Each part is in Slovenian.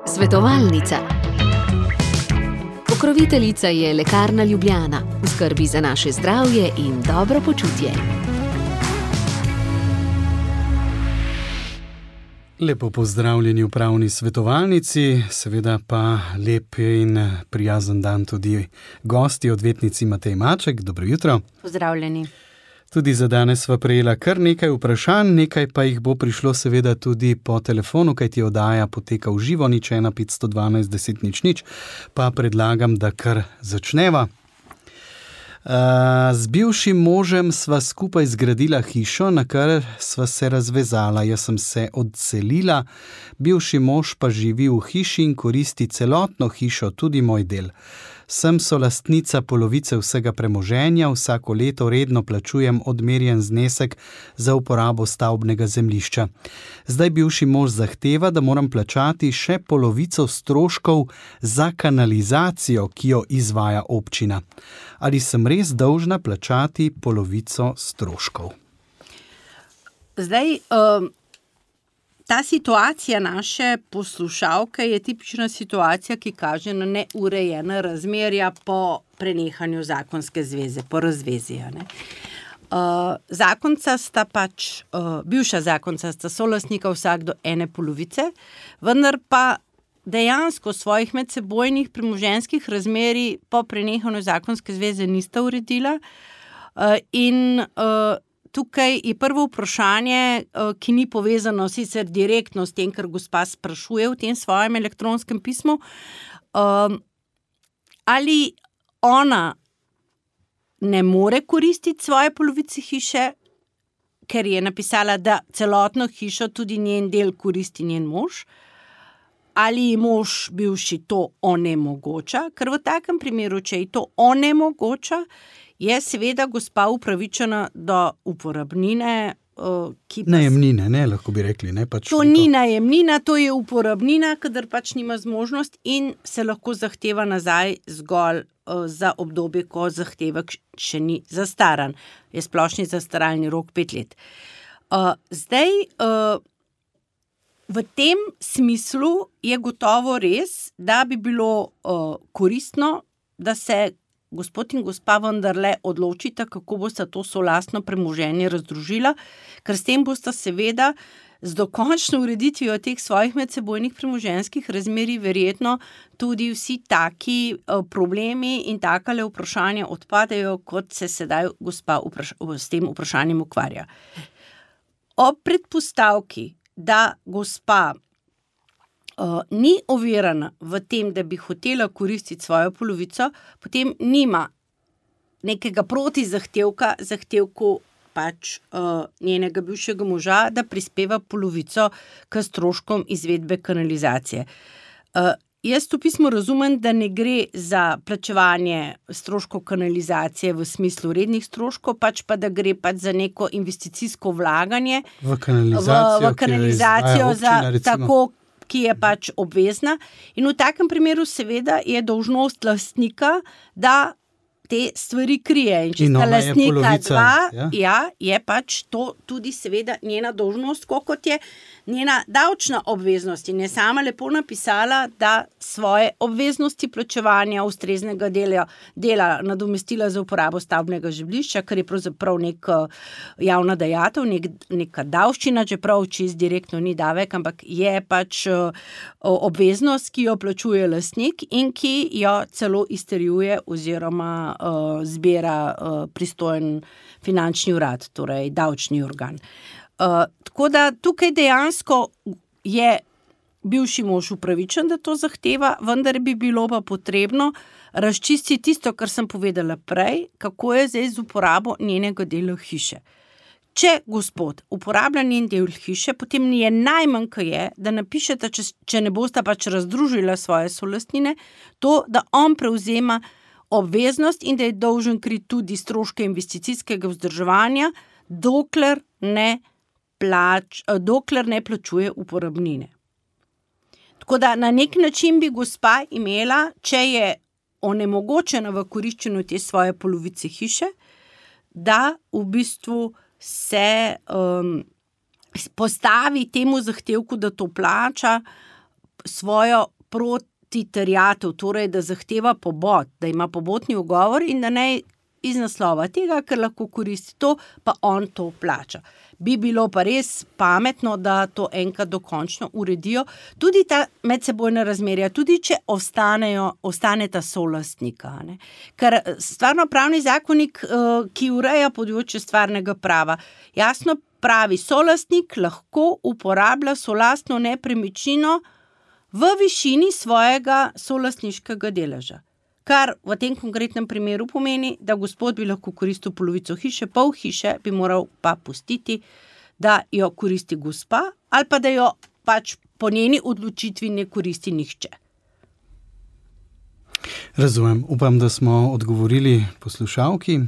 Svetovalnica. Pokroviteljica je Lekarna Ljubljana, v skrbi za naše zdravje in dobro počutje. Lepo pozdravljeni v pravni svetovalnici, seveda pa lep in prijazen dan tudi gosti, odvetnici Matej Maček. Dobro jutro. Pozdravljeni. Tudi za danes sva prejela kar nekaj vprašanj, nekaj pa jih bo prišlo seveda tudi po telefonu, kajti oddaja poteka v živo, 01 512 10 00, pa predlagam, da kar začneva. Z bivšim možem sva skupaj zgradila hišo, na kar sva se razvezala. Jaz sem se odselila, bivši mož pa živi v hiši in koristi celotno hišo, tudi moj del. Sem solastnica polovice vsega premoženja, vsako leto redno plačujem odmerjen znesek za uporabo stavbnega zemljišča. Zdaj bivši mož zahteva, da moram plačati še polovico stroškov za kanalizacijo, ki jo izvaja občina. Ali sem res dolžna plačati polovico stroškov? Zdaj, ta situacija naše poslušalke je tipična situacija, ki kaže na neurejena razmerja po prenehanju zakonske zveze, po razvezi. Zakonca sta bivša zakonca sta solastnika vsak do ene polovice, vendar pa dejansko svojih medsebojnih premoženjskih razmerij po prenehanju zakonske zveze nista uredila in tukaj je prvo vprašanje, ki ni povezano sicer direktno s tem, kar gospa sprašuje v tem svojem elektronskem pismu, ali ona ne more koristiti svoje polovice hiše, ker je napisala, da celotno hišo, tudi njen del, koristi njen mož, ali ji mož bivši to onemogoča, ker v takem primeru, če ji to onemogoča, je seveda gospa upravičena do uporabnine, ki pa... Najemnine, ne, lahko bi rekli, ne? To ni najemnina, to je uporabnina, kadar pač nima zmožnost in se lahko zahteva nazaj zgolj za obdobje, ko zahtevek še ni zastaran. Je splošni zastaralni rok 5 let. Zdaj, v tem smislu je gotovo res, da bi bilo koristno, da se gospod in gospa vendarle odločita, kako bosta to solastno premoženje razdružila, ker s tem bosta seveda z dokončno ureditvijo teh svojih medsebojnih premoženjskih razmerij verjetno tudi vsi taki problemi in takale vprašanja odpadejo, kot se sedaj gospa s tem vprašanjem ukvarja. Ob predpostavki, da gospa ni ovirana v tem, da bi hotela koristiti svojo polovico, potem nima nekega zahtevku pač njenega bivšega moža, da prispeva polovico k stroškom izvedbe kanalizacije. Jaz v pismu razumem, da ne gre za plačevanje stroškov kanalizacije v smislu rednih stroškov, pač pa da gre pač za neko investicijsko vlaganje v kanalizacijo tako, ki je pač obvezna. In v takem primeru seveda je dolžnost lastnika, da te stvari krije. In če sta lastnika dva, je pač to tudi seveda njena dolžnost, kot je njena davčna obveznost. In je sama lepo napisala, da svoje obveznosti plačevanja ustreznega dela nadomestila za uporabo stavbnega zemljišča, kar je pravzaprav neka javna dajatev, neka davščina, čeprav čisto direktno ni davek, ampak je pač obveznost, ki jo plačuje lastnik in ki jo celo izterjuje oziroma zbira pristojen finančni urad, torej davčni organ. Tako da tukaj dejansko je bivši mož upravičen, da to zahteva, vendar bi bilo pa potrebno razčistiti tisto, kar sem povedala prej, kako je zdaj z uporabo njenega dela hiše. Če gospod uporablja njen del hiše, potem je najmanj, kaj je, da napišete, če ne bosta pač razdružila svoje solastnine, to, da on prevzema obveznost in da je dolžen kriti tudi stroške investicijskega vzdrževanja, dokler ne plačuje uporabnine. Tako da na nek način bi gospa imela, če je onemogočena v koriščenju te svoje polovice hiše, da v bistvu se postavi temu zahtevku, da to plača, svojo protiterjatev, torej da zahteva pobod, da ima pobotni ugovor in da ne iz naslova tega, ker lahko koristi to, pa on to plača. Bi bilo pa res pametno, da to enkrat dokončno uredijo, tudi ta medsebojna razmerja, tudi če ostaneta solastnika. Ne? Ker stvarnopravni zakonik, ki ureja področje stvarnega prava, jasno pravi, solastnik lahko uporablja solastno nepremičnino v višini svojega solastniškega deleža. Kar v tem konkretnem primeru pomeni, da gospod bi lahko koristil polovico hiše, pol hiše bi moral pa pustiti, da jo koristi gospa, ali pa da jo pač po njeni odločitvi ne koristi nihče. Razumem. Upam, da smo odgovorili poslušalki.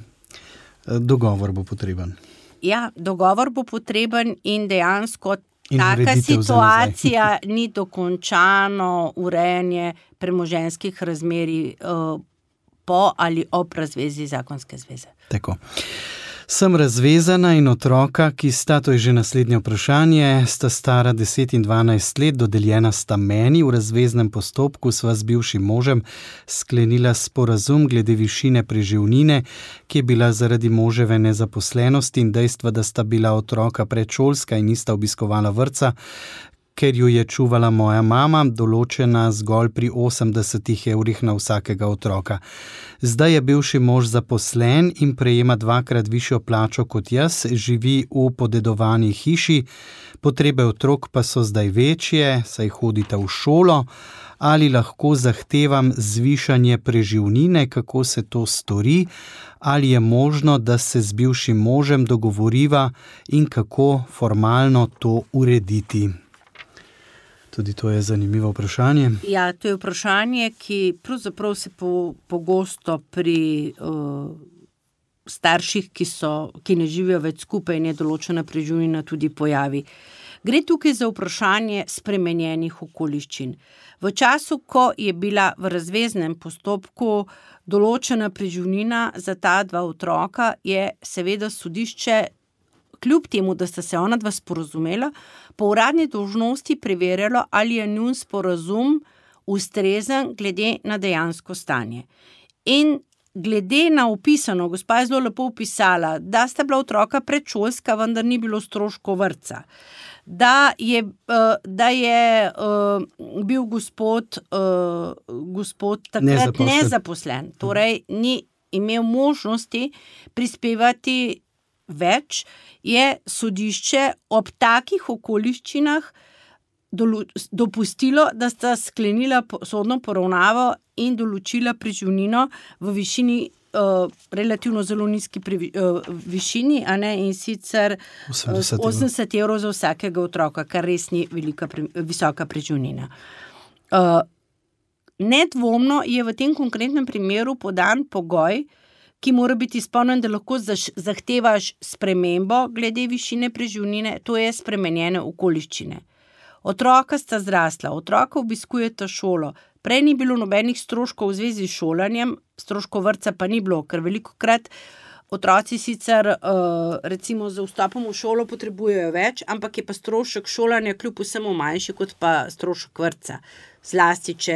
Dogovor bo potreben. Ja, dogovor bo potreben in dejansko taka situacija ni dokončano urejanje premoženjskih razmerij po ali ob razvezi zakonske zveze. Tako. Sem razvezana in otroka, ki sta, to je že naslednje vprašanje, sta stara 10 in 12 let, dodeljena sta meni. V razveznem postopku sva z bivšim možem sklenila sporazum glede višine preživnine, ki je bila zaradi moževe nezaposlenosti in dejstva, da sta bila otroka predšolska in nista obiskovala vrtca, ker ju je čuvala moja mama, določena zgolj pri 80 evrih na vsakega otroka. Zdaj je bivši mož zaposlen in prejema 2-krat višjo plačo kot jaz, živi v podedovani hiši, potrebe otrok pa so zdaj večje, saj hodita v šolo. Ali lahko zahtevam zvišanje preživnine, kako se to stori, ali je možno, da se z bivšim možem dogovoriva in kako formalno to urediti? Tudi to je zanimivo vprašanje. Ja, to je vprašanje, ki pravzaprav se pogosto pri starših, ki ne živijo več skupaj in je določena preživnina, tudi pojavi. Gre tukaj za vprašanje spremenjenih okoliščin. V času, ko je bila v razveznem postopku določena preživnina za ta 2 otroka, je seveda sodišče, kljub temu, da sta se ona 2 sporazumela, po uradni dolžnosti preverjalo, ali je njun sporazum ustrezen glede na dejansko stanje. In glede na opisano, gospa je zelo lepo opisala, da sta bila otroka predšolska, vendar ni bilo stroškov vrtca. Da je bil gospod takrat nezaposlen, torej ni imel možnosti prispevati več, je sodišče ob takih okoliščinah dopustilo, da sta sklenila sodno poravnavo in določila preživnino v višini relativno zelo nizki višini, a ne, in sicer 80 evrov za vsakega otroka, kar res ni visoka preživnina. Nedvomno je v tem konkretnem primeru podan pogoj, ki mora biti izpolnjen, da lahko zahtevaš spremembo glede višine preživnine, to je spremenjene okoliščine. Otroka sta zrasla, otroka obiskujeta šolo, prej ni bilo nobenih stroškov v zvezi s šolanjem, stroškov vrtca pa ni bilo, ker velikokrat otroci sicer recimo za vstopom v šolo potrebujejo več, ampak je pa strošek šolanja kljub vsemu manjši kot pa strošek vrtca. Zlasti, če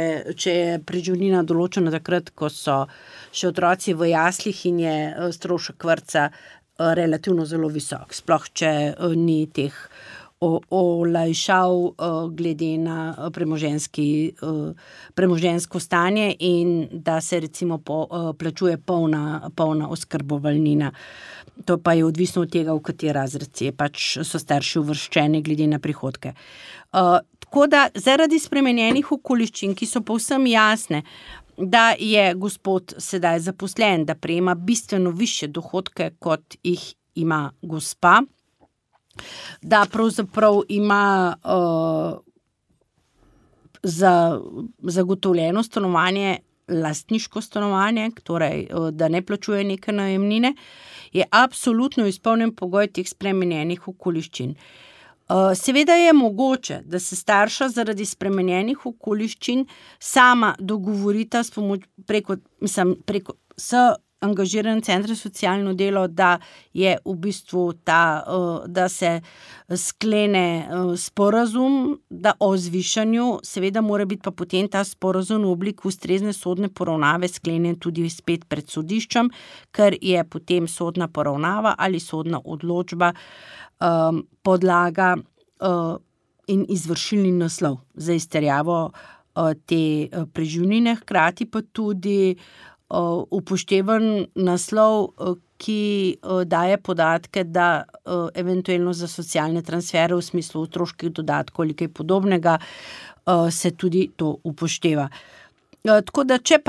je preživnina določena takrat, ko so še otroci v jaslih in je strošek vrtca relativno zelo visok. Sploh, če ni teh olajšav glede na premoženjsko stanje in da se recimo plačuje polna oskrbovalnina. To pa je odvisno od tega, v kateri razred so starši uvrščeni glede na prihodke. Tako da zaradi spremenjenih okoliščin, ki so povsem jasne, da je gospod sedaj zaposlen, da prejema bistveno višje dohodke, kot jih ima gospa, da pravzaprav ima zagotovljeno stanovanje, lastniško stanovanje, torej da ne plačuje neke najemnine, je absolutno izpolnjen pogoj teh spremenjenih okoliščin. Seveda je mogoče, da se starša zaradi spremenjenih okoliščin sama dogovorita s angažiran center za socialno delo, da je v bistvu da se sklene sporazum o zvišanju, seveda mora biti pa potem ta sporazum v obliki ustrezne sodne poravnave sklenjen tudi spet pred sodiščem, ker je potem sodna poravnava ali sodna odločba podlaga in izvršilni naslov za izterjavo te preživnine, hkrati pa tudi upoštevan naslov, ki daje podatke, da eventualno za socialne transfere v smislu otroških dodatkov ali kaj podobnega se tudi to upošteva. Tako da, če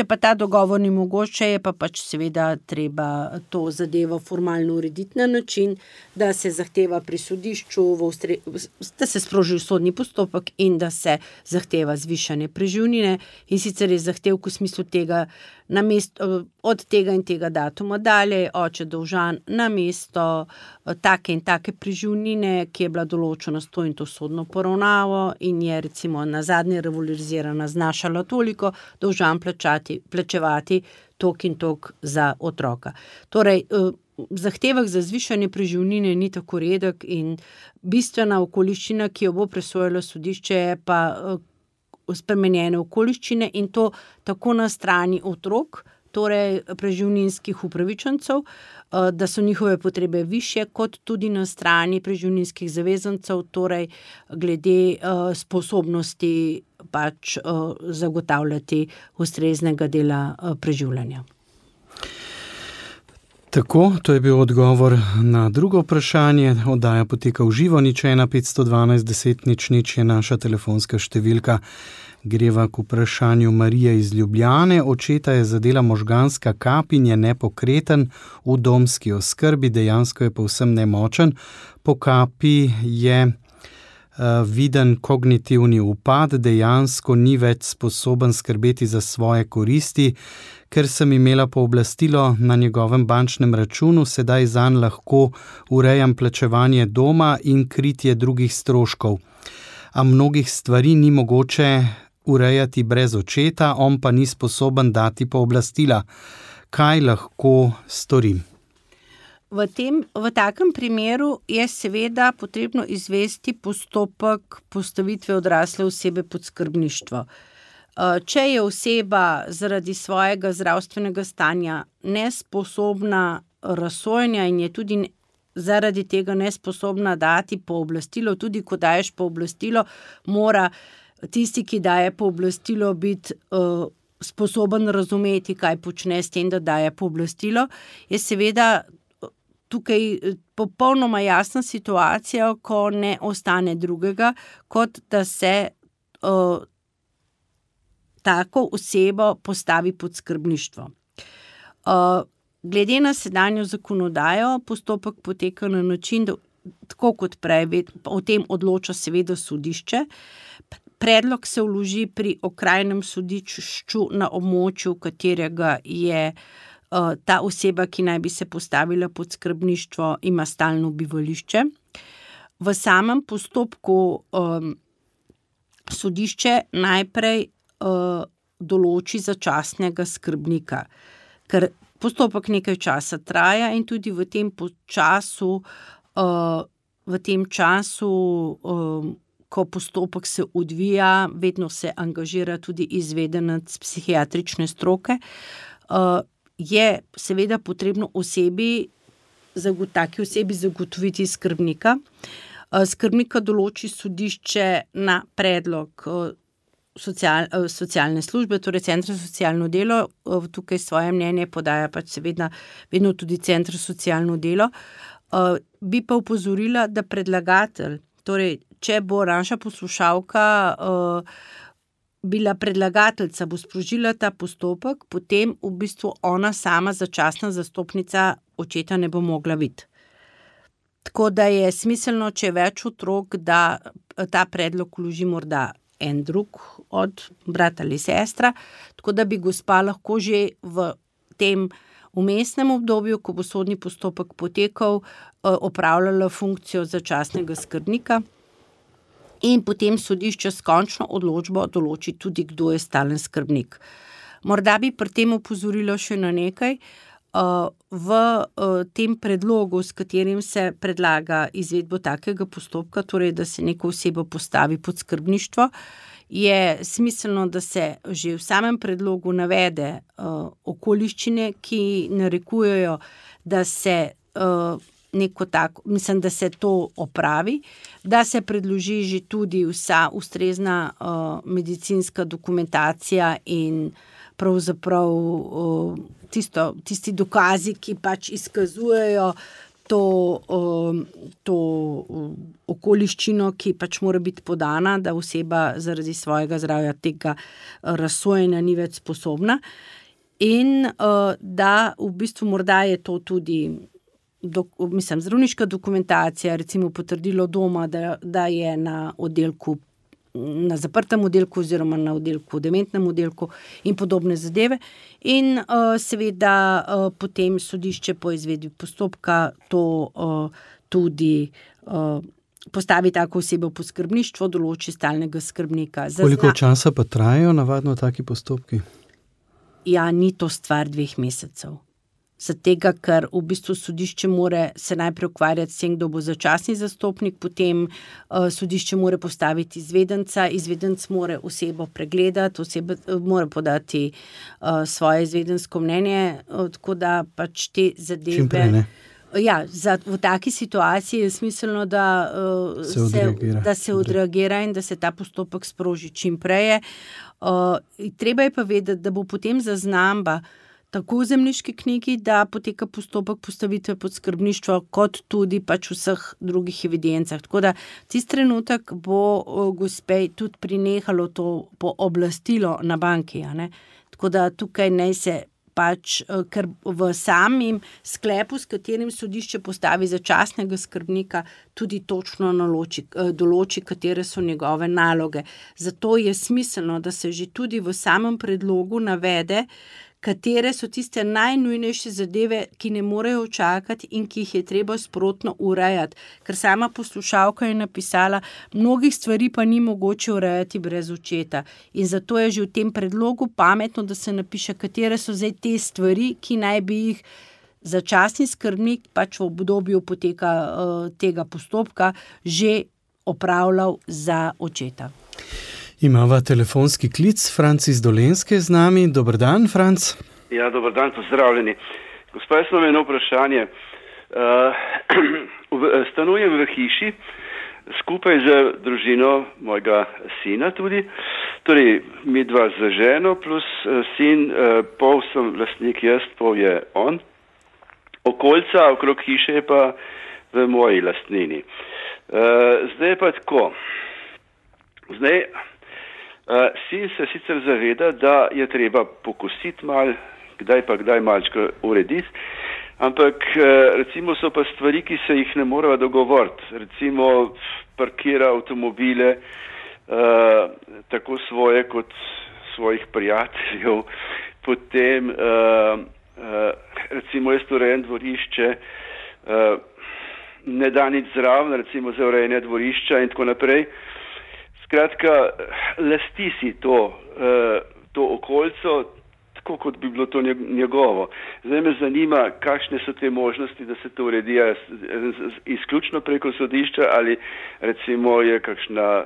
pa ta dogovor ni mogoče, je pa pač seveda treba to zadevo formalno urediti na način, da se zahteva pri sodišču, da se sproži sodni postopek in da se zahteva zvišanje preživnine, in sicer je zahtevek v smislu tega, od tega in tega datuma dalje je oče dolžan namesto take in take preživnine, ki je bila določena s to in to sodno poravnavo in je recimo nazadnje revalorizirana znašala toliko, dolžan plačevati toliko in toliko za otroka. Torej, zahtevek za zvišanje preživnine ni tako redek in bistvena okoliščina, ki jo bo presojalo sodišče, je pa spremenjene okoliščine, in to tako na strani otrok, torej preživninskih upravičencev, da so njihove potrebe višje, kot tudi na strani preživninskih zavezancev, torej glede sposobnosti pač zagotavljati ustreznega dela preživljanja. Tako, to je bil odgovor na drugo vprašanje. Oddaja poteka v živo, 01 512 10 00 je naša telefonska številka. Greva k vprašanju Marije iz Ljubljane. Očeta je zadela možganska kap in je nepokreten v domski oskrbi, dejansko je povsem nemočen. Po kapi je viden kognitivni upad, dejansko ni več sposoben skrbeti za svoje koristi. Ker sem imela pooblastilo na njegovem bančnem računu, sedaj zanj lahko urejam plačevanje doma in kritje drugih stroškov. A mnogih stvari ni mogoče urejati brez očeta, on pa ni sposoben dati pooblastila. Kaj lahko storim? V takem primeru je seveda potrebno izvesti postopek postavitve odrasle osebe pod skrbništvo. Če je oseba zaradi svojega zdravstvenega stanja nesposobna razsojanja in je tudi zaradi tega nesposobna dati pooblastilo, tudi ko daješ pooblastilo, mora tisti, ki daje pooblastilo, biti sposoben razumeti, kaj počne s tem, da daje pooblastilo, je seveda tukaj popolnoma jasna situacija, ko ne ostane drugega, kot da se tako osebo postavi pod skrbništvo. Glede na sedanjo zakonodajo, postopek poteka na način, da tako kot prej, o tem odloča seveda sodišče. Predlog se vloži pri okrajnem sodišču na območju, katerega je ta oseba, ki naj bi se postavila pod skrbništvo, ima stalno bivališče. V samem postopku sodišče najprej določi začasnega skrbnika, ker postopek nekaj časa traja in tudi v tem času, ko postopek se odvija, vedno se angažira tudi izvedenec psihiatrične stroke, je seveda potrebno taki osebi zagotoviti skrbnika. Skrbnika določi sodišče na predlog socialne službe, torej Centra za socialno delo. Tukaj svoje mnenje podaja pač seveda vedno tudi Center za socialno delo. Bi pa opozorila, da predlagatelj, torej če bo naša poslušalka bila predlagateljica, bo sprožila ta postopek, potem v bistvu ona sama začasna zastopnica očeta ne bo mogla biti. Tako da je smiselno, če je več otrok, da ta predlog vloži morda en drug od brat ali sestra, tako da bi gospa lahko že v tem vmesnem obdobju, ko bo sodni postopek potekal, opravljala funkcijo začasnega skrbnika in potem sodišče s končno odločbo določi tudi, kdo je stalen skrbnik. Morda bi pri tem opozorilo še na nekaj. V tem predlogu, s katerim se predlaga izvedbo takega postopka, torej da se neko osebo postavi pod skrbništvo, je smiselno, da se že v samem predlogu navede okoliščine, ki narekujejo, da se da se to opravi, da se predloži že tudi vsa ustrezna medicinska dokumentacija in pravzaprav tisti dokazi, ki pač izkazujejo to okoliščino, ki pač mora biti podana, da oseba zaradi svojega zdravja tega razsojenja ni več sposobna. In da v bistvu morda je to tudi zdravniška dokumentacija, recimo potrdilo doma, da je na oddelku, na zaprtem oddelku oziroma na oddelku, dementnem oddelku in podobne zadeve. In seveda potem sodišče po izvedbi postopka to tudi postavi tako osebo pod skrbništvo, določi stalnega skrbnika. Koliko časa pa trajajo navadno taki postopki? Ja, ni to stvar 2 mesecev. Zatega, ker v bistvu sodišče mora se najprej ukvarjati s tem, kdo bo začasni zastopnik, potem sodišče mora postaviti izvedenca, izvedenc mora osebo pregledati, oseba mora podati svoje izvedensko mnenje, tako da pač te zadeve... Čim prej, ne? Ja, v taki situaciji je smiselno, da se odreagira in da se ta postopek sproži čim prej. Treba je pa vedeti, da bo potem zaznamba tako v zemljiški knjigi, da poteka postopek postavitve pod skrbništvo, kot tudi pač v vseh drugih evidencah. Tako da tisti trenutek bo gospej tudi prenehalo to pooblastilo na banki. Tako da tukaj naj se pač, ker v samem sklepu, s katerim sodišče postavi začasnega skrbnika, tudi točno določi, katere so njegove naloge. Zato je smiselno, da se že tudi v samem predlogu navede, katere so tiste najnujnejše zadeve, ki ne morejo čakati in ki jih je treba sprotno urejati. Ker sama poslušalka je napisala, mnogih stvari pa ni mogoče urejati brez očeta. In zato je že v tem predlogu pametno, da se napiše, katere so zdaj te stvari, ki naj bi jih začasni skrbnik pač v obdobju poteka tega postopka že opravljal za očeta. Imava telefonski klic, Franc iz Dolenjske z nami. Dober dan, Franc. Ja, dober dan, pozdravljeni. Gospa, jaz imam eno vprašanje. Stanujem v hiši skupaj z družino mojega sina tudi, torej mi dva z ženo plus sin, pol sem lastnik jaz, pol je on. Okolica okrog hiše je pa v moji lastnini. Zdaj je pa tako. Sin se sicer zaveda, da je treba pokositi mal, kdaj malčko urediti, ampak recimo so pa stvari, ki se jih ne morava dogovoriti. Recimo parkira avtomobile, tako svoje kot svojih prijateljev, potem recimo jaz urejem dvorišče, ne da nič zraven, recimo za urejanje dvorišča in tako naprej. Skratka, lasti si to okolico, tako kot bi bilo to njegovo. Zdaj me zanima, kakšne so te možnosti, da se to uredi izključno preko sodišča ali recimo je kakšna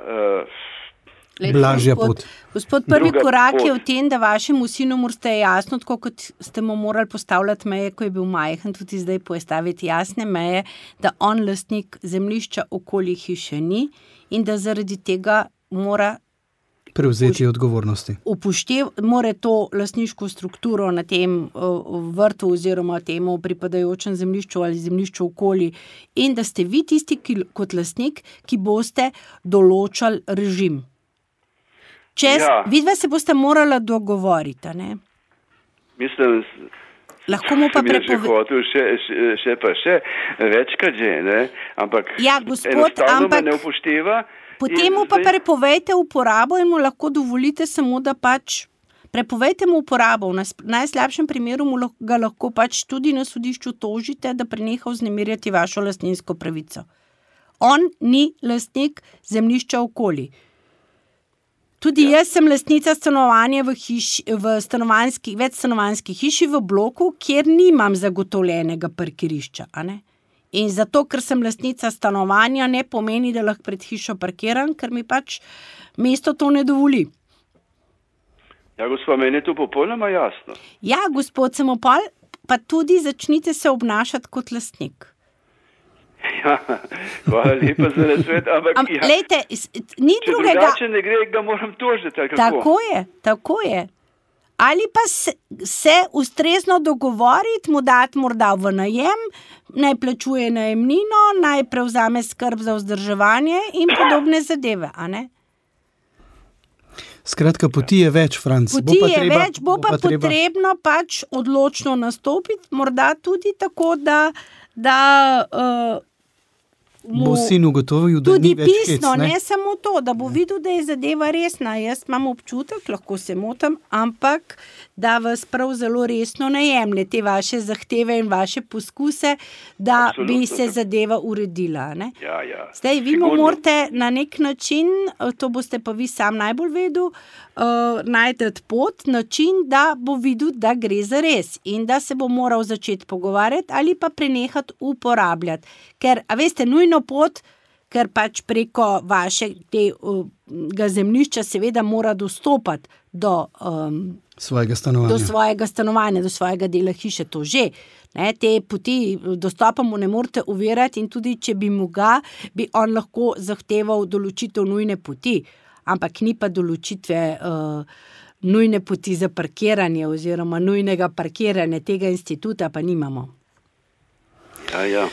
blažja pot. Gospod, prvi korak je v tem, da vašemu sinu morate jasno, tako kot ste mu morali postavljati meje, ko je bil majhen, tudi zdaj postaviti jasne meje, da on lastnik zemljišča okoli hiše ni in da zaradi tega mora prevzeti odgovornosti. Mora to lastniško strukturo na tem vrtu oziroma temu pripadajočem zemljišču ali zemljišču okoli in da ste vi tisti, kot lastnik, ki boste določali režim. Vidva se boste morala dogovoriti, ne? Mislim, lahko mu pa še večkrat že, ne? Ampak enostavno me ne upošteva. Potem mu pa prepovejte uporabo in mu lahko dovolite samo, da pač prepovejte mu uporabo. V najslabšem primeru ga lahko pač tudi na sodišču tožite, da preneha vznemirjati vašo lastninsko pravico. On ni lastnik zemljišča okoli. Tudi jaz sem lastnica stanovanja v večstanovanjski hiši v bloku, kjer nimam zagotovljenega parkirišča, a ne? In zato, ker sem lastnica stanovanja, ne pomeni, da lahko pred hišo parkiram, ker mi pač mesto to ne dovoli. Ja, gospod, meni je to popolnoma jasno. Ja, gospod Samopol, pa tudi začnite se obnašati kot lastnik. Ja, hvala lepa za nasvet, ampak lejte, ni če drugega. drugače ne gre, ga moram tožiti, ali kako? Tako je. Ali pa se ustrezno dogovoriti, mu dati morda v najem, naj plačuje najemnino, naj prevzame skrb za vzdrževanje in podobne zadeve, a ne? Skratka, poti je več, Franc. Bo pa potrebno pač odločno nastopiti, morda tudi tako, da bo sin ugotovil, da ni več pisno, hec, ne? Ne samo to, da bo videl, da je zadeva resna. Jaz imam občutek, lahko se motim, ampak da vas prav zelo resno ne jemlje te vaše zahteve in vaše poskuse, da Absolutno. bi se zadeva uredila. Ne? Ja. Zdaj, vi Sigurno. morate na nek način, to boste pa vi sam najbolj vedel, najti pot, način, da bo videl, da gre za res in da se bo moral začeti pogovarjati ali pa prenehati uporabljati. Ker, a veste, nujno pot, ker pač preko vašega zemljišča seveda mora dostopati do svojega stanovanja, do svojega dela hiše, to že. Ne, te poti dostopa mu ne morete uvirati in tudi, če bi mu ga, bi on lahko zahteval določitev nujne poti, ampak ni pa določitve nujne poti za parkiranje oziroma nujnega parkiranja, tega instituta pa nimamo. Ja.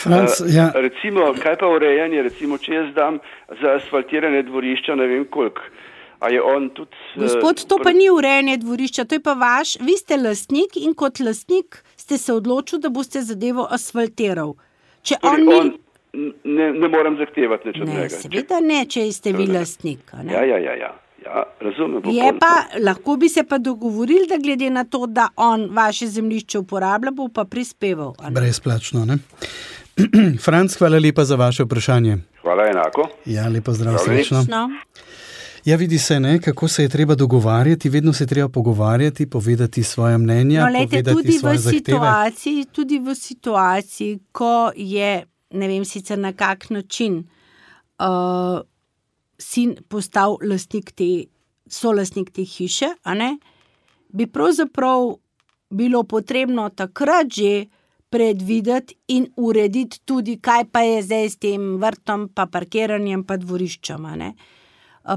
Franc, Recimo, kaj pa urejanje, recimo, če jaz dam za asfaltiranje dvorišča, ne vem koliko, a je on tudi... Gospod, to pa ni urejanje dvorišča, to je pa vi ste lastnik in kot lastnik ste se odločil, da boste zadevo asfaltiral. Če torej on ne moram zahtevati nič od njega. Ne, seveda ne, če ste vi lastnik. Ne? Ja, razumem. Je pa, lahko bi se pa dogovorili, da glede na to, da on vaše zemljišče uporablja, bo pa prispeval. Brezplačno, ne? Franc, hvala lepa za vaše vprašanje. Hvala enako. Ja, lepo zdrav, srečno. Ja, vidi se, ne, kako se je treba dogovarjati, vedno se je treba pogovarjati, povedati svoje mnenja, povedati svoje zahteve. Tudi v situaciji, ko je, ne vem sicer na kak način, sin postal solastnik te hiše, a ne, bi pravzaprav bilo potrebno takrat že predvideti in urediti tudi, kaj pa je zdaj s tem vrtom, pa parkiranjem, pa dvoriščem, a ne.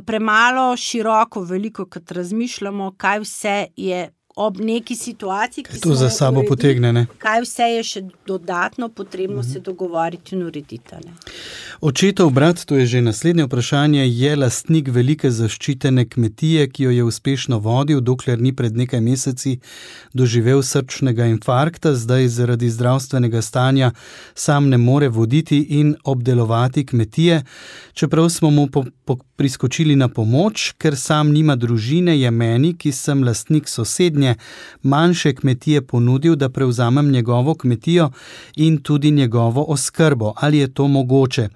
Premalo široko, veliko, kot razmišljamo, kaj vse je ob neki situaciji, ki to za sabo potegne, ne? Kaj vse je še dodatno potrebno se dogovoriti in urediti, ne? Očetov brat, to je že naslednje vprašanje, je lastnik velike zaščitene kmetije, ki jo je uspešno vodil, dokler ni pred nekaj meseci doživel srčnega infarkta, zdaj zaradi zdravstvenega stanja sam ne more voditi in obdelovati kmetije. Čeprav smo mu priskočili na pomoč, ker sam nima družine, je meni, ki sem lastnik sosednje, manjše kmetije ponudil, da prevzamem njegovo kmetijo in tudi njegovo oskrbo. Ali je to mogoče?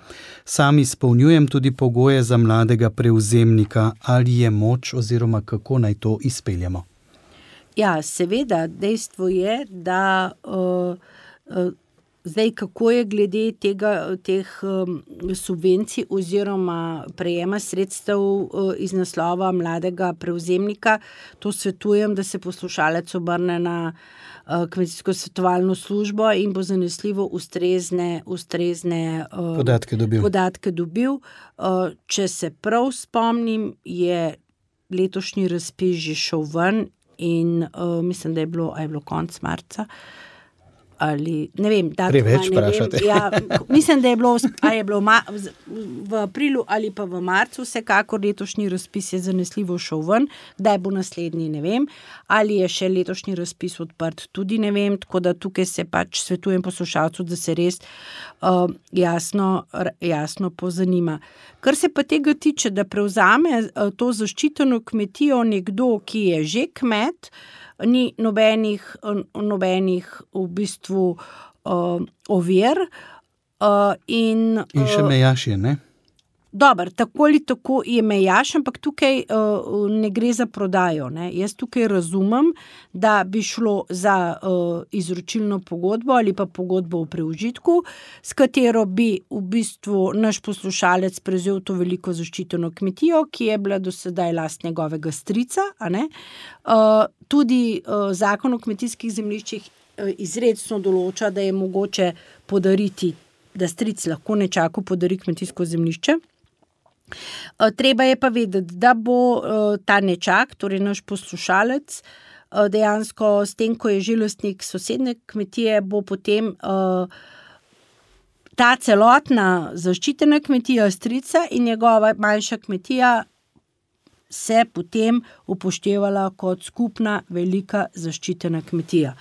Sam izpolnjujem tudi pogoje za mladega prevzemnika. Ali je moč oziroma kako naj to izpeljemo? Ja, seveda, dejstvo je, da zdaj kako je glede teh subvencij oziroma prejema sredstev iz naslova mladega prevzemnika, to svetujem, da se poslušalec obrne na kmetijsko svetovalno službo in bo zanesljivo ustrezne podatke dobil. Če se prav spomnim, je letošnji razpis že šel ven in mislim, da je bilo konec marca. Ali, ne vem, preveč vprašate. Ja, mislim, da je bilo v aprilu ali pa v marcu, vsekakor letošnji razpis je zanesljivo šel ven, kdaj bo naslednji, ne vem, ali je še letošnji razpis odprt, tudi ne vem, tako da tukaj se pač svetujem poslušalcu, da se res jasno pozanima. Kar se pa tega tiče, da prevzame to zaščiteno kmetijo nekdo, ki je že kmet, ni nobenih v bistvu ovir. In še mejaš je, ne? Dobro, tako ali tako je mejaš, ampak tukaj ne gre za prodajo. Ne. Jaz tukaj razumem, da bi šlo za izročilno pogodbo ali pa pogodbo o preužitku, s katero bi v bistvu naš poslušalec prevzel to veliko zaščiteno kmetijo, ki je bila do sedaj last njegovega strica. A ne. Tudi zakon o kmetijskih zemljiščih izrecno določa, da je mogoče podariti, da stric lahko nečaku podari kmetijsko zemljišče. Treba je pa vedeti, da bo ta nečak, torej naš poslušalec, dejansko s tem, ko je že lastnik sosednje kmetije, bo potem ta celotna zaščitena kmetija strica in njegova manjša kmetija se potem upoštevala kot skupna velika zaščitena kmetija.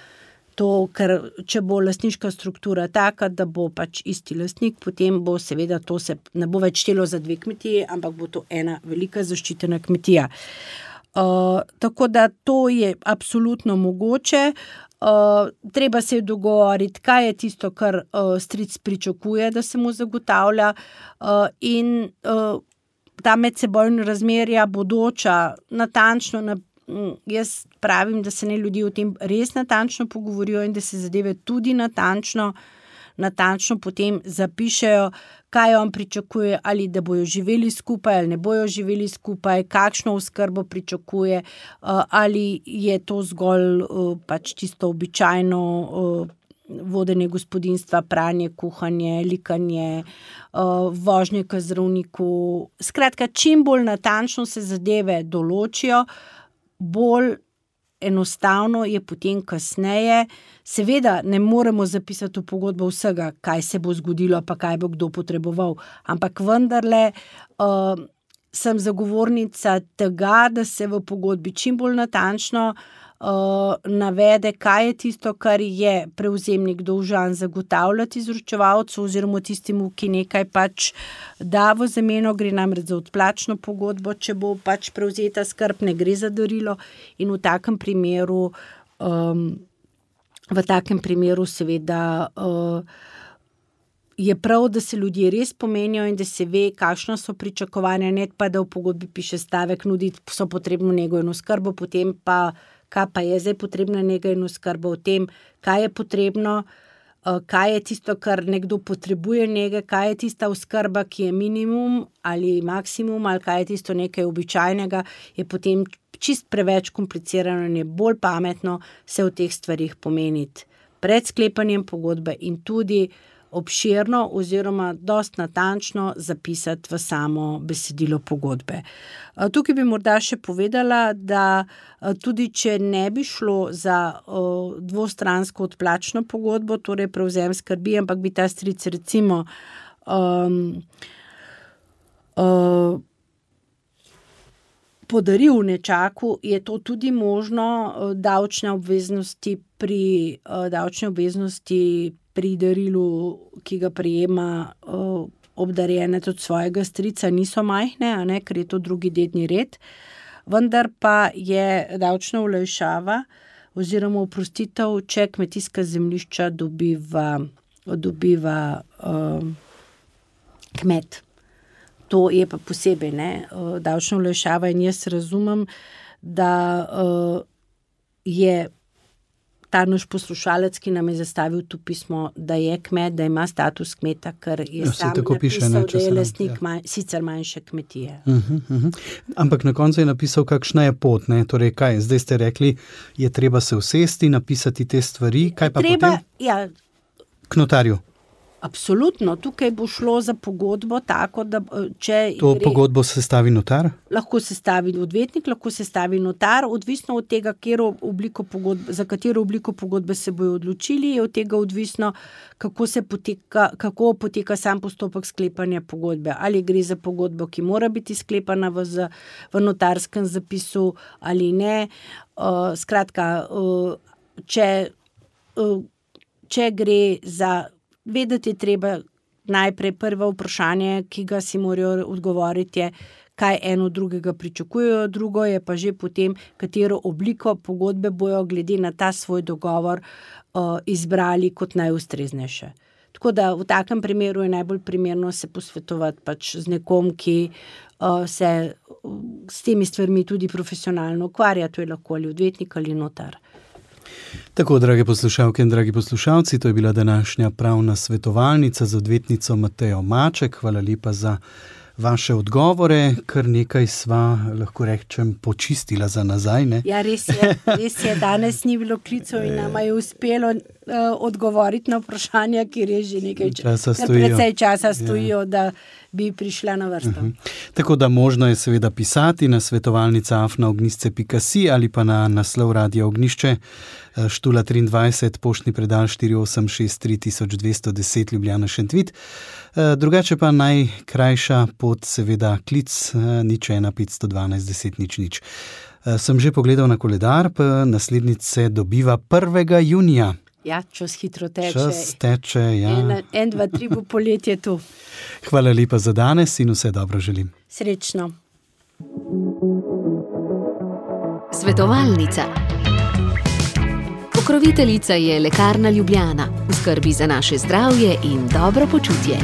To, ker če bo lastniška struktura taka, da bo pač isti lastnik, potem bo seveda to se ne bo več štelo za 2 kmetije, ampak bo to ena velika zaščitena kmetija. Tako da to je absolutno mogoče. Treba se je dogovoriti, kaj je tisto, kar stric pričakuje, da se mu zagotavlja, in ta medsebojna razmerja bodoča, natančno jaz pravim, da se ne ljudje o tem res natančno pogovorijo in da se zadeve tudi natančno potem zapišejo, kaj on pričakuje, ali da bojo živeli skupaj ali ne bojo živeli skupaj, kakšno oskrbo pričakuje, ali je to zgolj pač tisto običajno vodenje gospodinjstva, pranje, kuhanje, likanje, vožnje k zdravniku. Skratka, čim bolj natančno se zadeve določijo, bolj enostavno je potem kasneje. Seveda ne moremo zapisati v pogodbo vsega, kaj se bo zgodilo, pa kaj bo kdo potreboval, ampak vendarle sem zagovornica tega, da se v pogodbi čim bolj natančno navede, kaj je tisto, kar je prevzemnik dolžan zagotavljati izročevalcu oziroma tistemu, ki nekaj pač da v zameno, gre namreč za odplačno pogodbo, če bo pač prevzeta skrb, ne gre za darilo, in v takem primeru seveda je prav, da se ljudje res pomenijo in da se ve, kakšna so pričakovanja, ne pa da v pogodbi piše stavek, nuditi so potrebno nego in oskrbo, potem pa kaj pa je zdaj potrebna nega in oskrba, o tem, kaj je potrebno, kaj je tisto, kar nekdo potrebuje nege, kaj je tista oskrba, ki je minimum ali maksimum, ali kaj je tisto nekaj običajnega, je potem čist preveč komplicirano in je bolj pametno se o teh stvarih pomeniti pred sklepanjem pogodbe in tudi obširno oziroma dosti natančno zapisati v samo besedilo pogodbe. Tukaj bi morda še povedala, da tudi če ne bi šlo za dvostransko odplačno pogodbo, torej prevzem skrbi, ampak bi ta stric recimo podaril nečaku, je to tudi možno. Davčne obveznosti pri darilu, ki ga prejema obdarjenec od svojega strica, niso majhne, a ne, ker je to drugi dedni red, vendar pa je davčna olajšava oziroma oprostitev, če kmetijska zemljišča dobiva kmet. To je pa posebej, ne, davčna olajšava, in jaz razumem, da je ta naš poslušalec, ki nam je zastavil to pismo, da je kmet, da ima status kmeta, ker je sam napisal, da je lastnik sicer manjše kmetije. Ampak na koncu je napisal, kakšna je pot, ne? Torej, kaj? Zdaj ste rekli, je treba se usesti, napisati te stvari, kaj pa potem? Ja, k notarju. Absolutno, tukaj bo šlo za pogodbo tako, da pogodbo sestavi notar? Lahko sestavi odvetnik, lahko sestavi notar, odvisno od tega, za katero obliko pogodbe se bojo odločili, je od tega odvisno, kako poteka sam postopek sklepanja pogodbe. Ali gre za pogodbo, ki mora biti sklepana v notarskem zapisu ali ne. Skratka, če gre za vedeti je treba najprej prvo vprašanje, ki ga si morajo odgovoriti, je, kaj eno drugega pričakujejo, drugo je pa že potem, katero obliko pogodbe bojo glede na ta svoj dogovor izbrali kot najustreznejše. Tako da v takem primeru je najbolj primerno se posvetovati pač z nekom, ki se s temi stvarmi tudi profesionalno ukvarja, to je lahko ali odvetnik ali notar. Tako, drage poslušalke in dragi poslušalci, to je bila današnja pravna svetovalnica z odvetnico Matejo Maček. Hvala lepa za vaše odgovore, kar nekaj sva, lahko rečem, počistila za nazaj, ne? Ja, res je, danes ni bilo klicev in nama je uspelo odgovoriti na vprašanja, kjer je že nekaj precej časa stojijo, da bi prišla na vrsto. Tako da možno je seveda pisati na svetovalnica@ognisce.si ali pa na naslov Radia Ognišče, Štula 23, poštni predal 4863 1210 Ljubljana Šentvid. Drugače pa najkrajša pot, seveda klic 01 512 10 00. Sem že pogledal na koledar, pa naslednjič se dobiva 1. junija. Ja, čas hitro teče. Čas teče, ja. 1, 2, 3 bo poletje tu. Hvala lepa za danes in vse dobro želim. Srečno. Svetovalnica. Pokroviteljica je Lekarna Ljubljana, v skrbi za naše zdravje in dobro počutje.